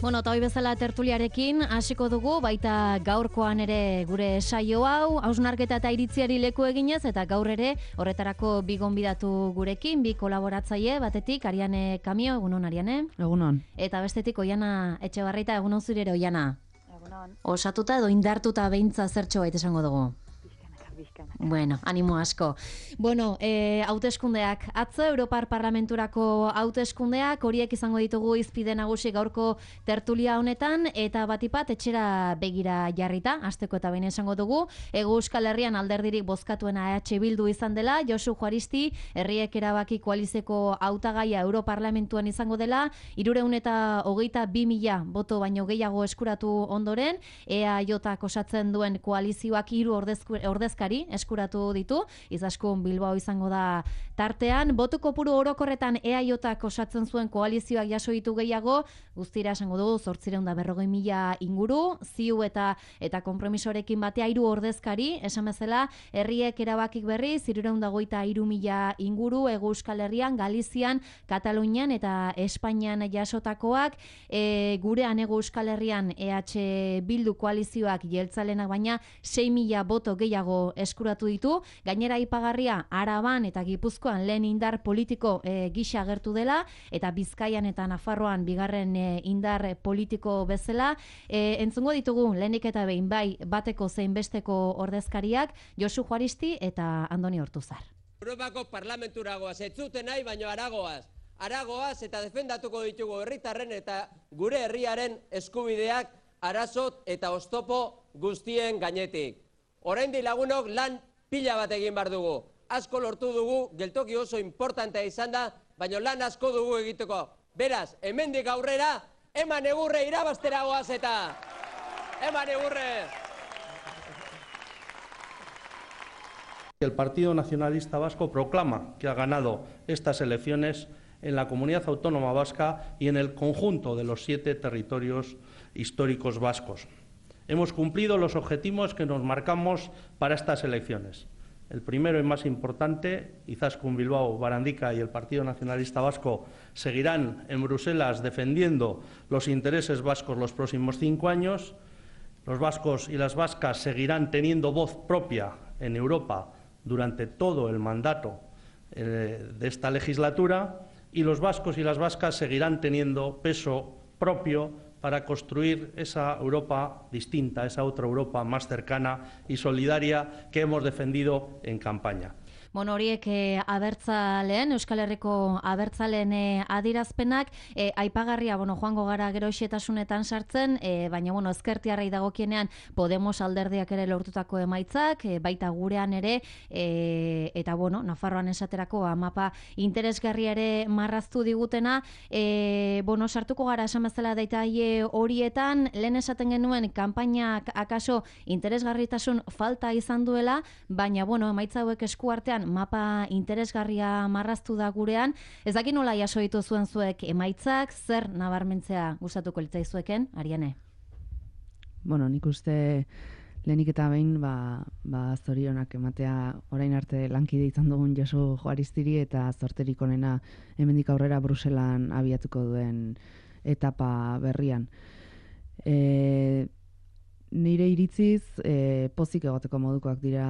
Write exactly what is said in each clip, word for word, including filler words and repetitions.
Bueno, eta hoi bezala tertuliarekin hasiko dugu, baita gaurkoan ere gure saio hau, hausnarketa eta iritziari leku eginez, eta gaur ere horretarako bi gonbidatu gurekin, bi kolaboratzaile, batetik Ariane Kamio, egunon Ariane. Egunon. Eta bestetik Oiana Etxebarrieta, egunon zure ere Oiana. Egunon. Osatuta edo indartuta beintza zertxo baita esango dugu. Bizkanaka. Bueno, animo asko. Bueno, eh, hauteskundeak atzo, Europar Parlamenturako hauteskundeak, horiek izango ditugu izpide nagusi gaurko tertulia honetan, eta batipat etxera begira jarrita, hasteko eta behin esango dugu, Hego Euskal Herrian alderdirik bozkatuena E H Bildu izan dela, Josu Juaristi, Herriek Erabaki koalizeko hautagaia Europarlamentuan izango dela, hirurehun eta hogeita bi mila boto baino gehiago eskuratu ondoren, E A Jak osatzen duen koalizioak hiru ordezkari eskuratu ditu, Izaskun Bilbao izango da tartean, boto kopuru orokorretan E A Jak osatzen zuen koalizioak jaso ditu gehiago, guztira esango dugu zortziehun eta berrogei mila inguru, ziu eta eta konpromisorekin batea hiru ordezkari, esan bezala, Herriek Erabakik berriz, hirurehun eta hogeita hiru mila inguru, Hego Euskal Herrian, Galizian, Katalunian eta Espainian jasotakoak, e, gurean Hego Euskal Herrian E H Bildu koalizioak jeltzalenak baina sei mila boto gehiago eskuratu ditu, gainera aipagarria Araban eta Gipuzkoan lehen indar politiko e, gisa agertu dela, eta Bizkaian eta Nafarroan bigarren e, indar politiko bezala, e, entzungo ditugu lehenik eta behin bai bateko zein besteko ordezkariak, Josu Juaristi eta Andoni Ortuzar. Europako parlamenturagoaz, ez zuten nahi, baino aragoaz. Aragoaz eta defendatuko ditugu herritarren eta gure herriaren eskubideak arazot eta oztopo guztien gainetik. Oraindik lagunok lan pila bat egin behar dugu. Asko lortu dugu, geltoki oso importantea izan da, baina lan asko dugu egiteko. Beraz, hemendik aurrera, eman egurre irabazteragoaz eta eman egurre! El Partido Nacionalista Vasco proclama que ha ganado estas elecciones en la comunidad autónoma vasca y en el conjunto de los siete territorios históricos vascos. Hemos cumplido los objetivos que nos marcamos para estas elecciones. El primero y más importante, Izaskun Bilbao, Barandica y el Partido Nacionalista Vasco seguirán en Bruselas defendiendo los intereses vascos los próximos cinco años. Los vascos y las vascas seguirán teniendo voz propia en Europa durante todo el mandato eh, de esta legislatura, y los vascos y las vascas seguirán teniendo peso propio para construir esa Europa distinta, esa otra Europa más cercana y solidaria que hemos defendido en campaña. Bueno, horiek e, abertzaleen, Euskal Herriko abertzaleen e, adirazpenak, e, aipagarria, bueno, joango gara gero xetasunetan sartzen, e, baina, bueno, ezkertiarrei dagokienean Podemos alderdiak ere lortutako emaitzak, e, baita gurean ere, e, eta, bueno, Nafarroan esaterako amapa interesgarria ere marraztu digutena, e, bueno, sartuko gara esan bezala daitaie horietan, lehen esaten genuen kanpainak akaso interesgarritasun falta izan duela, baina, bueno, emaitza hauek eskuartean mapa interesgarria marraztu da gurean. Ez dakit nola jaso ditu zuen zuek emaitzak, zer nabarmentzea gustatuko litzaizueken, Ariane? Bueno, nik uste lehenik eta behin ba, ba zorionak ematea orain arte lankide izan dugun Josu Juaristiri eta zorterik onena hemendik aurrera Bruselan abiatuko duen etapa berrian. E, Nire iritziz, e, pozik egoteko modukoak dira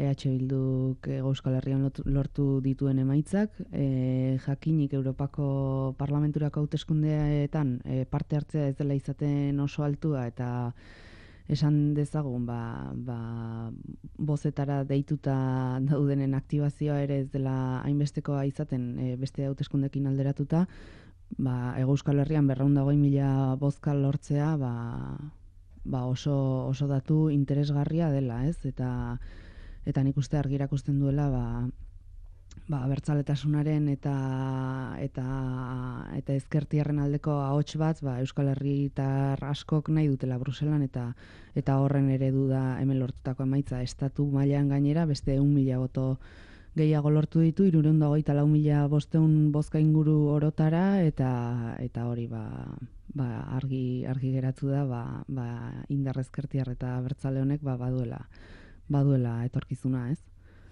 E H Bilduk Hego Euskal Herrian lortu dituen emaitzak. E, jakinik Europako Parlamenturako hauteskundeetan e, parte hartzea ez dela izaten oso altua, eta esan dezagun ba, ba, bozetara deituta daudenen aktibazioa ere ez dela hainbestekoa izaten e, beste hauteskundeekin alderatuta, ba, Hego Euskal Herrian berrehun eta hogei mila bozka lortzea, ba, ba oso, oso datu interesgarria dela, ez? Eta, eta nik uste argi erakusten duela ba, ba, abertzaletasunaren eta, eta, eta ezkertiarren aldeko ahots bat ba, Euskal Herritar askok nahi dutela Bruselan, eta, eta horren eredu da hemen lortutako emaitza. Estatu mailan gainera beste ehun mila boto gehiago lortu ditu, hirurehun eta hogeita lau mila bostehun bozka inguru orotara, eta, eta hori ba, ba, argi, argi geratu da ba, ba, indar ezkertiar eta abertzale honek ba, baduela, baduela etorkizuna, ez?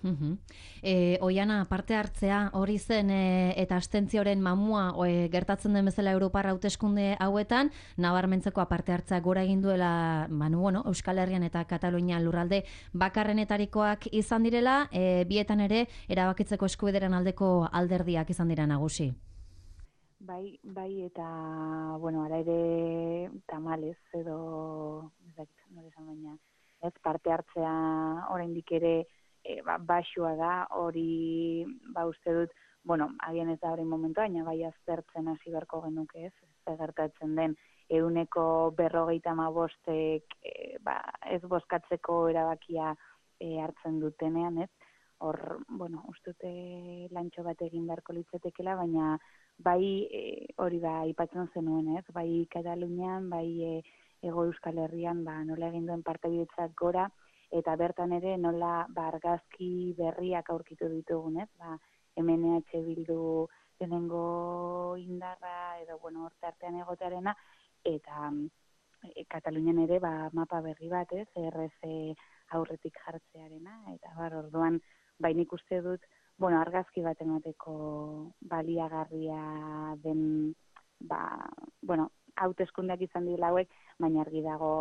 Uhum. E, Oiana, parte hartzea hori zen e, eta abstentzioaren mamua e, gertatzen den bezala Europar hauteskunde hauetan, nabarmentzeko parte hartzea gora egin duela banu, bueno, Euskal Herrian eta Katalunia lurralde bakarrenetarikoak izan direla, e, bietan ere erabakitzeko eskubideren aldeko alderdiak izan dira nagusi. Bai, bai, eta, bueno, ara ere tamalez edo, ez dakit, nore esan baina, ez parte hartzea oraindik ere e, ba, baxua da, hori, ba, uste dut, bueno, agian ez da hori momentu, baina bai aztertzen hasi beharko genuke ez, ez gertatzen den, ehuneko berrogeita hamabostek e, ba, ez bozkatzeko erabakia e, hartzen dutenean, ez, hor, bueno, uste dute lantxo bat egin beharko litzatekela, baina bai e, hori da aipatzen zenuen, ez? Bai Katalunian, bai e, Hego Euskal Herrian, ba, nola egin duen partaidetzak gora, eta bertan ere nola ba, argazki berriak aurkitu ditugun, ez? Ba, hemen E H Bildu lehenengo indarra, edo, bueno, horte artean egotearena, eta e, Katalunian ere ba, mapa berri bat, ez? R C aurretik jartzearena, eta bar, orduan, bai nik uste dut, bueno, argazki bat emateko baliagarria den, ba, bueno, hauteskundeak izan dira hauek, baina argi dago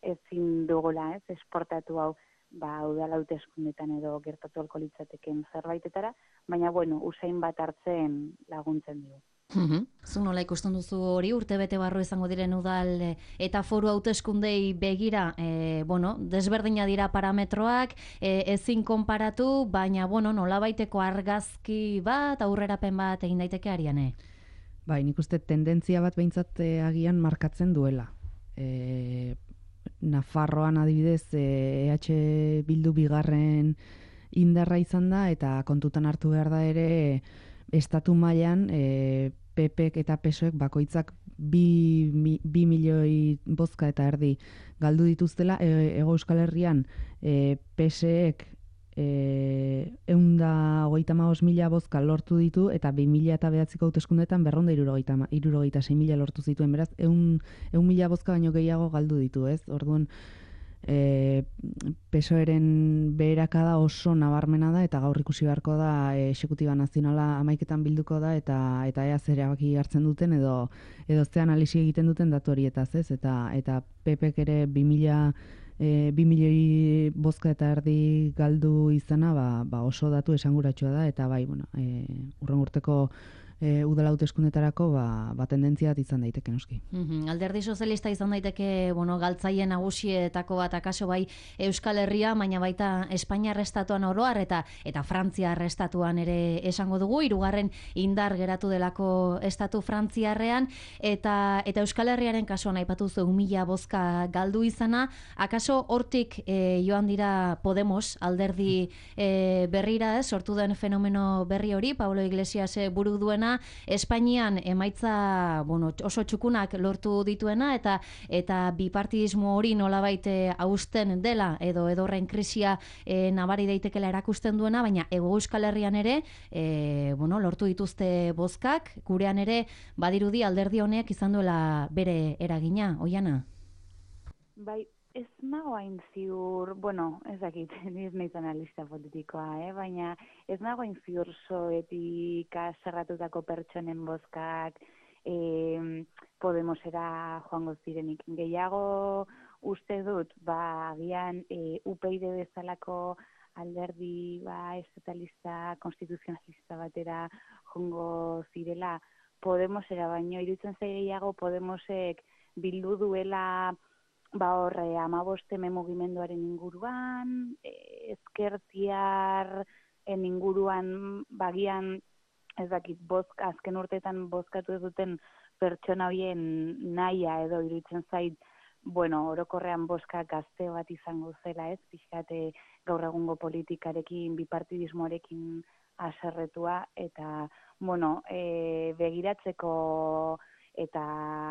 ezin dugula, ez, esportatu hau, ba, udal hauteskundetan edo gertatu ahalko litzateken zerbaitetara, baina, bueno, usain bat hartzen laguntzen dugu. Uhum. Zu nola ikusten duzu hori urtebete barru izango diren udal e, eta foru hauteskundei begira, e, bueno, desberdina dira parametroak, e, ezin konparatu, baina bueno, nolabaiteko argazki bat, aurrerapen bat egin daiteke Ariane. Bai, nik uste tendentzia bat behintzat e, agian markatzen duela. E, Nafarroan adibidez E H Bildu bigarren indarra izan da, eta kontutan hartu behar da ere estatu mailan e, P Pek eta P S Oek bakoitzak bi, mi, bi milioi bozka eta erdi galdu dituztela, e, Hego Euskal Herrian e, P S Ek e, eunda hogeita hamabost mila bozka lortu ditu, eta bi mila eta bederatziko hauteskundeetan berrehun eta hirurogeita sei mila lortu zituen, beraz, eun, eun mila bozka baino gehiago galdu ditu, ez? Orduan, E, P S Oeren beherakada oso nabarmena da, eta gaur ikusi beharko da e, Exekutiba Nazionala hamaiketan bilduko da, eta eta ea zer erabaki hartzen duten edo edo ze analisi egiten duten datu horietaz, ez? Eta eta P Pek ere bi mila e, bi milioi bozka eta erdi galdu izana, ba, ba oso datu esanguratsua da, eta bai, bueno, e, urren urteko E, udal hauteskundetarako ba, ba tendentzia bat izan daiteke noski. Mm-hmm. Alderdi sozialista izan daiteke, bueno, galtzaile nagusietako bat akaso bai Euskal Herria, baina baita Espainiar estatuan oroar eta eta Frantziar estatuan ere esango dugu, hirugarren indar geratu delako estatu frantziarrean, eta eta Euskal Herriaren kasuan aipatu zu mila bozka galdu izana, akaso hortik e, joan dira Podemos alderdi e, berrira, ez, sortu den fenomeno berri hori, Pablo Iglesias buru duena, Espainian emaitza, bueno, oso txukunak lortu dituena, eta eta bipartidismo hori nolabait hausten dela edo edorren krisia e, nabari daitekela erakusten duena, baina Hego Euskal Herrian ere e, bueno, lortu dituzte bozkak, gurean ere badirudi alderdi honek izan duela bere eragina, Oiana? Bai, ez nago hain ziur, bueno, ez dakit, ez nahiz analista politikoa, eh? Baina ez nago hain ziur zoetik zerratutako pertsonen bozkak eh, Podemosera joango zirenik. Gehiago uste dut, ba, agian eh, U P Y bezalako alderdi ba, estatalista, konstituzionalista batera joango zirela Podemosera, baino iruditzen zaigeiago Podemosek bildu duela ba horre amaboste mugimenduaren inguruan, e, ezkertiarren inguruan bagian, ez dakit, bozka, azken urteetan bozkatu ez duten pertsona horien nahia edo iruditzen zait, bueno, orokorrean bozka gazte bat izango zela, ez, pixkate gaur egungo politikarekin, bipartidismoarekin aserretua, eta, bueno, e, begiratzeko eta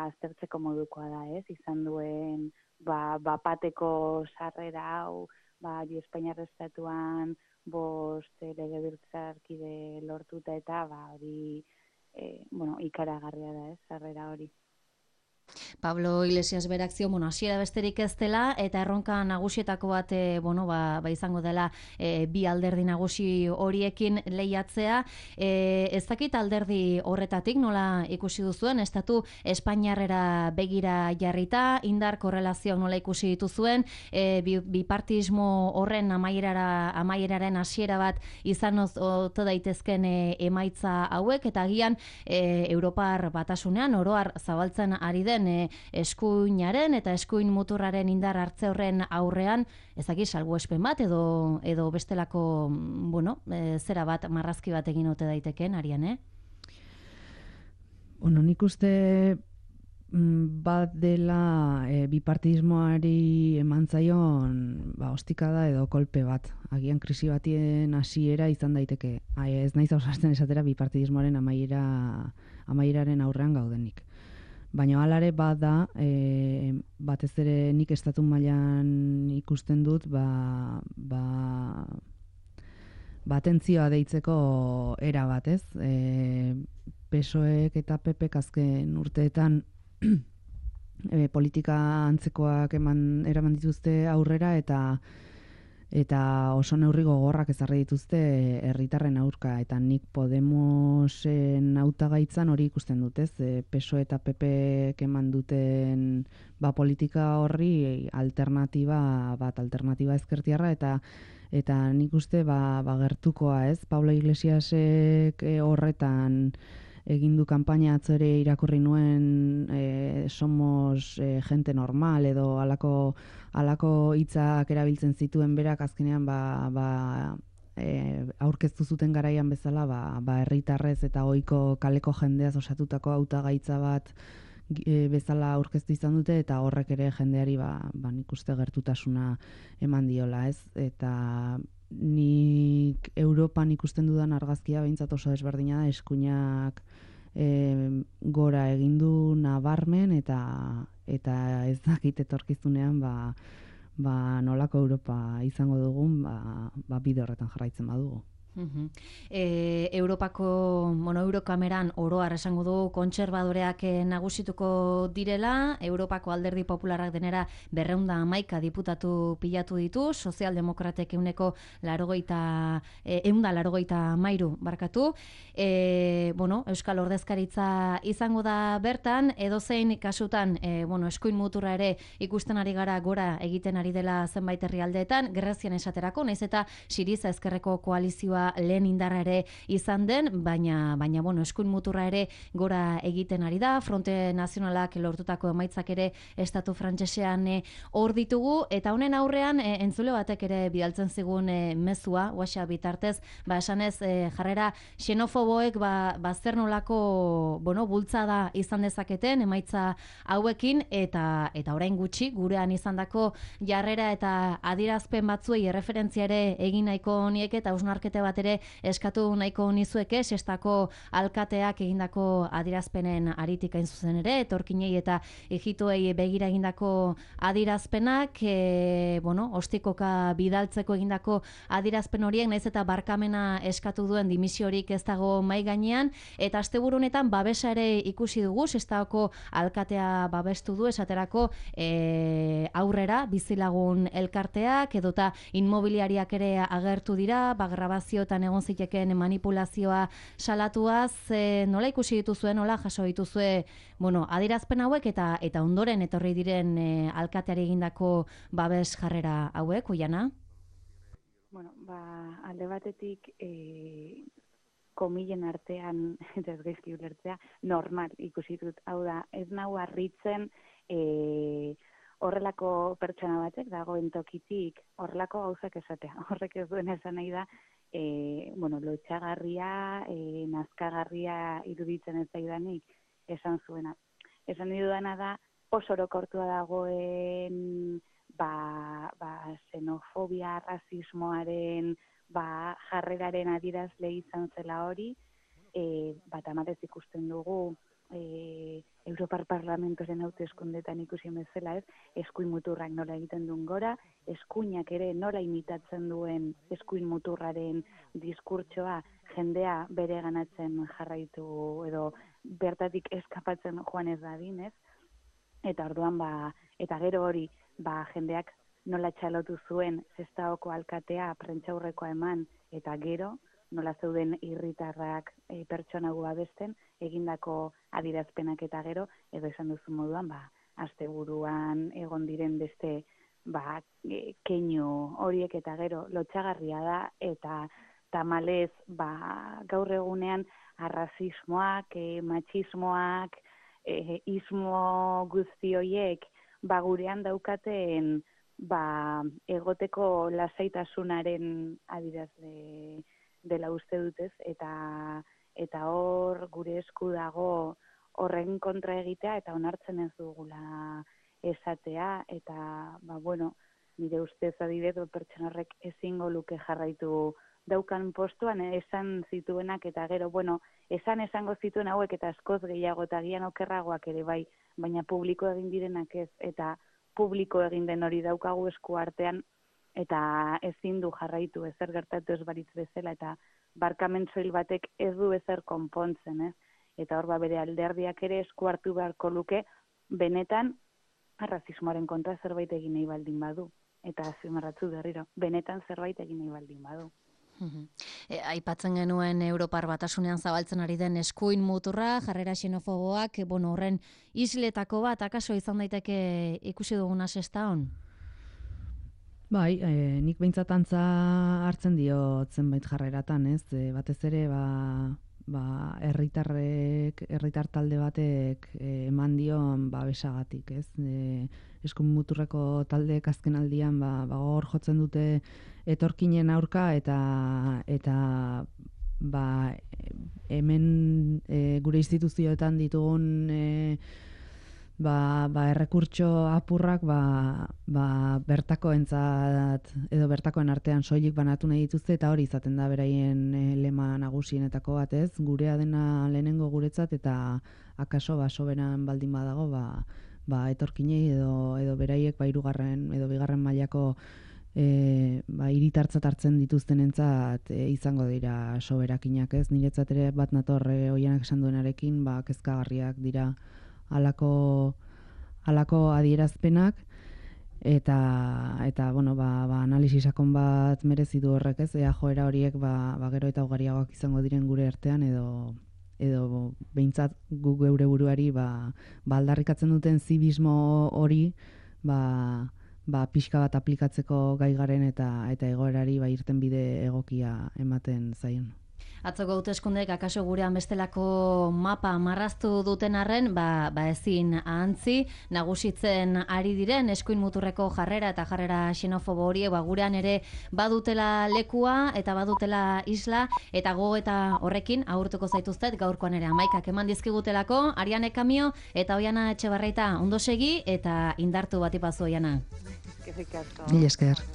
aztertzeko modukoa da, ez, izan duen ba, bapateko sarrera hau, ba, Espainiar estatuan bost legebiltzarkide lortuta eta ba, hori, e, bueno, ikaragarria da, ez, sarrera hori. Pablo Iglesias berak zio, bueno, hasiera besterik ez dela, eta erronka nagusietako bat, e, bueno, ba, ba izango dela e, bi alderdi nagusi horiekin lehiatzea. E, ez dakit alderdi horretatik nola ikusi duzuen, estatu Espainiarrera begira jarrita, indar korrelazioak nola ikusi dituzuen, e, bi, bipartismo horren amaierara, amaieraren hasiera bat izan ote daitezken e, emaitza hauek, eta agian e, Europar batasunean oroar zabaltzen ari den e, eskuinaren eta eskuin muturraren indar hartze horren aurrean, ezaki salbuespen bat edo edo bestelako, bueno, e, zera bat, marrazki bat egin ote daiteken, Arian, eh? Bueno, nik uste bat dela e, bipartidismoari eman zaion ba, ostikada edo kolpe bat. Agian krisi batien hasiera izan daiteke. Ai, ez naiz ausartzen esatera bipartidismoaren amaiera, amaieraren aurrean gaudenik. Baina alare bat da, e, batez ere nik estatu mailan ikusten dut, ba, ba, batentzioa deitzeko era bat, ez? E, P S O Ek eta P Pek azken urteetan e, politika antzekoak eman eraman dituzte aurrera eta eta oso neurri gogorrak ezarri dituzte herritarren aurka, eta nik Podemosen hautagaitzan hori ikusten dut, ez? E, P S O E eta P Pek eman duten ba, politika horri alternatiba bat, alternatiba ezkertiarra, eta eta nik uste ba, ba gertukoa, ez? Pablo Iglesiasek e, horretan egin du kanpaina, atzo ere irakurri nuen e, somos e, gente normal edo alako alako hitzak erabiltzen zituen berak, azkenean ba, ba, e, aurkeztu zuten garaian bezala ba, ba herritarrez eta ohiko kaleko jendeaz osatutako hautagaitza bat e, bezala aurkeztu izan dute, eta horrek ere jendeari ba, ba nik uste gertutasuna eman diola, ez? Eta nik Europan ikusten dudan argazkia behintzat oso desberdina da, eskuinak e, gora egin du nabarmen, eta eta ez dakit etorkizunean ba, ba nolako Europa izango dugun, ba, ba bide horretan jarraitzen badugu. Uh-huh. E, Europako bueno, Eurokameran oroar esango du kontserbadoreak nagusituko direla, Europako alderdi popularrak denera berreunda hamaika diputatu pilatu ditu, sozialdemokratek euneko larogeita, e, eunda larogeita mairu barkatu, e, bueno, Euskal Ordezkaritza izango da bertan, edozein kasutan, e, bueno, eskuin muturra ere ikusten ari gara gora egiten ari dela zenbait herrialdeetan, Grezian esaterako, naiz eta Siriza ezkerreko koalizioa lehen indarra ere izan den, baina, baina bueno, eskuin muturra ere gora egiten ari da, Fronte Nazionalak lortutako emaitzak ere estatu frantsesean hor ditugu, eta honen aurrean e, entzule batek ere bidaltzen zigun e, mezua, WhatsApp bitartez, ba esanez e, jarrera xenofoboek ba, ba zer nolako, bueno, bultzada izan dezaketen emaitza hauekin, eta eta orain gutxi gurean izandako jarrera eta adierazpen batzuei erreferentzia ere egin nahiko nieke, eta hausnarkete bat ere eskatu nahiko nizueke, sestako alkateak egindako adierazpenen aritik hain zuzen ere, etorkinei eta ejituei begira egindako adierazpenak, e, bueno, ostikoka bidaltzeko egindako adierazpen horiek, naiz eta barkamena eskatu duen dimisiorik ez dago mai gainean, eta asteburu honetan babesa ere ikusi dugu, sestako alkatea babestu du, esaterako e, aurrera bizilagun elkarteak, edota inmobiliariak ere agertu dira, ba grabazioetan egon zitekeen manipulazioa salatuaz, e, nola ikusi dituzue, nola jaso dituzue, bueno, adierazpen hauek, eta eta ondoren etorri diren e, alkateari egindako babes jarrera hauek, Oiana? Bueno, ba, alde batetik e, komilen artean, eta ez gaizki ulertzea, normal ikusi dut. Hau da, ez nau harritzen e, horrelako pertsona batek dagoen tokitik horrelako gauzak esatea. Horrek ez duen esan nahi da, e, bueno, lotxagarria, e, nazkagarria iruditzen ez zaidanik esan zuena. Esan dudana da, oso orokortua dagoen ba, ba, xenofobia, rasismoaren, ba, jarreraren adierazle izan zela hori, e, bat amatez ikusten dugu, e, Europar Parlamentoren hauteskundetan ikusi bezala, ez, eskuin muturrak nola egiten duen gora, eskuinak ere nola imitatzen duen eskuin muturraren diskurtsoa jendea bere ganatzen jarraitu edo bertatik eskapatzen joan ez dadin, ez? eta orduan, ba, eta gero hori, ba, jendeak nola txalotu zuen Sestaoko alkatea prentsaurrekoa eman, eta gero, nola zeuden irritarrak e, pertsona gu babesten, egindako adierazpenak eta gero, edo esan duzu moduan, ba, asteburuan egon diren beste ba, e, keinu horiek eta gero lotxagarria da, eta tamalez ba, gaur egunean arrazismoak, e, matxismoak, e, ismo guzti horiek ba, gurean daukaten ba, egoteko lasaitasunaren adierazle dela uste dutez, eta eta hor gure esku dago horren kontra egitea eta onartzen ez dugula esatea, eta ba, bueno, nire ustez adibidez pertsona horrek ezingo luke jarraitu daukan postuan esan zituenak, eta gero, bueno, esan esango zituen hauek eta askoz gehiago eta gian okerragoak ere bai, baina publiko egin direnak ez, eta publiko egin den hori daukagu esku artean, eta ezin du jarraitu ezer gertatu ez baritz bezala, eta barkamen soil batek ez du ezer konpontzen, ez? Eta hor ba bere alderdiak ere esku hartu beharko luke, benetan arrazismoaren kontra zerbait egin nahi baldin badu. Eta azpimarratzu berriro, benetan zerbait egin nahi baldin badu. E, aipatzen genuen Europar Batasunean zabaltzen ari den eskuin muturra, jarrera xenofoboak, e, bueno, horren isletako bat, akaso izan daiteke ikusi duguna Sestaon? Bai, e, nik behintzat antza hartzen diot zenbait jarreratan, ez? E, batez ere, ba, ba, herritarrek, herritar talde batek e, eman dion ba, besagatik, ez? E, eskuin muturreko taldeek azken aldian ba, ba, hor jotzen dute etorkinen aurka, eta eta ba, hemen e, gure instituzioetan ditugun e, ba, ba errekurtso apurrak ba, ba, bertakoentzat edo bertakoen artean soilik banatu nahi dituzte, eta hori izaten da beraien e, lema nagusienetako bat, ez? Gurea dena lehenengo guretzat, eta akaso ba, soberan baldin badago ba, ba, etorkinei edo, edo beraiek ba, hirugarren edo bigarren mailako E, ba, hiritartzat hartzen dituztenentzat e, izango dira soberakinak, ez? Niretzat ere bat nator e, Oianak esan duenarekin, ba, kezkagarriak dira halako halako adierazpenak, eta eta bueno, ba, ba analisi sakon bat merezi du horrek, ez? Ea joera horiek ba, ba gero eta ugariagoak izango diren gure artean, edo edo behintzat gu geure buruari ba, ba aldarrikatzen duten zibismo hori ba ba, pixka bat aplikatzeko gai garen, eta eta egoerari ba, irten bide egokia ematen zaion. Atzoko hauteskundek akaso gurean bestelako mapa marraztu duten arren, ba, ba ezin ahantzi, nagusitzen ari diren eskuin muturreko jarrera eta jarrera xenofobo horiek ba, gurean ere badutela lekua eta badutela isla, eta go eta horrekin agurtuko zaituztet gaurkoan ere amaikak eman dizkigutelako, Ariane Kamio eta Oiana Etxebarrieta ondo segi eta indartu batipazu Oiana. Eskerrik asko. Mila esker.